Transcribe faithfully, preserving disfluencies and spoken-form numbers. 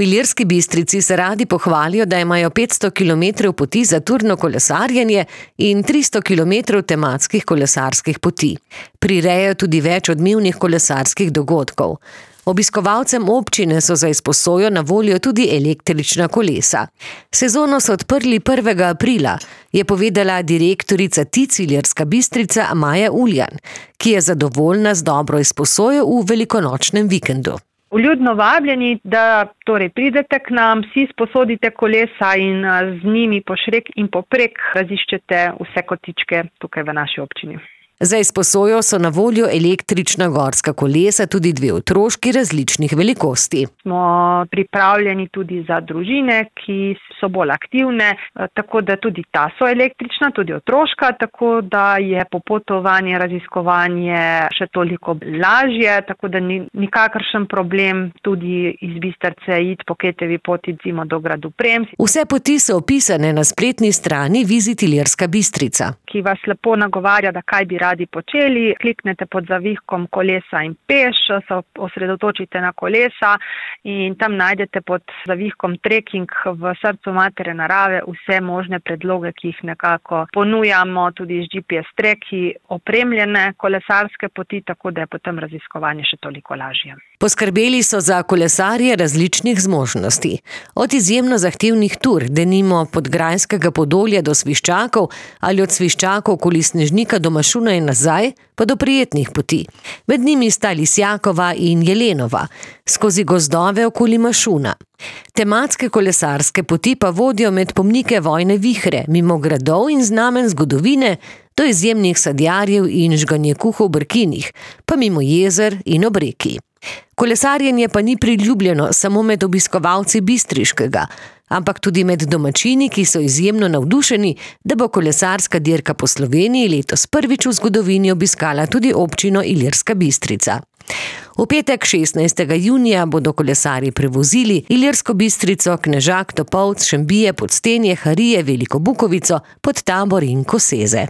V Ilirski Bistrici se radi pohvalijo, da imajo petsto kilometrov poti za turno kolesarjenje in tristo kilometrov tematskih kolesarskih poti. Prirejajo tudi več odmevnih kolesarskih dogodkov. Obiskovalcem občine so za izposojo na voljo tudi električna kolesa. Sezono so odprli prvega aprila, je povedala direktorica T I C Ilirska Bistrica Maja Uljan, ki je zadovoljna z dobro izposojo v velikonočnem vikendu. Vljudno vabljeni, da torej pridete k nam, si sposodite kolesa in z njimi pošrek in poprek raziščete vse kotičke tukaj v naši občini. Za izposojo so na voljo električna gorska kolesa, tudi dve otroški različnih velikosti. Smo pripravljeni tudi za družine, ki so bolj aktivne, tako da tudi ta so električna, tudi otroška, tako da je popotovanje, raziskovanje še toliko lažje, tako da ni nikakršen problem tudi iz Bistrice iti po Ketovi poti recimo do gradu Prems. Vse poti so opisane na spletni strani Visit Ilirska Bistrica, ki vas lepo nagovarja, da kaj bi radi počeli. Kliknete pod zavihkom kolesa in peš, se osredotočite na kolesa in tam najdete pod zavihkom trekking v srcu matere narave vse možne predloge, ki jih nekako ponujamo, tudi z G P S treki opremljene kolesarske poti, tako da je potem raziskovanje še toliko lažje. Poskrbeli so za kolesarje različnih zmožnosti. Od izjemno zahtevnih tur, denimo pod Grajskega Podolja do Sviščakov ali od Sviščakov okoli Snežnika do Mašuna in nazaj, pa do prijetnih poti. Med njimi sta Lisjakova in Jelenova, skozi gozdove okoli Mašuna. Tematske kolesarske poti pa vodijo med pomnike vojne vihre, mimo gradov in znamen zgodovine, do izjemnih sadjarjev in žganjekuhov v Brkinih, pa mimo jezer in ob reki. Kolesarjenje pa ni priljubljeno samo med obiskovalci Bistriškega, ampak tudi med domačini, ki so izjemno navdušeni, da bo kolesarska dirka po Sloveniji letos prvič v zgodovini obiskala tudi občino Ilirska Bistrica. V petek šestnajstega junija bodo kolesarji prevozili Ilirsko Bistrico, Knežak, Topolc, Šembije, Podstenje, Harije, Veliko Bukovico, Podtabor in Koseze.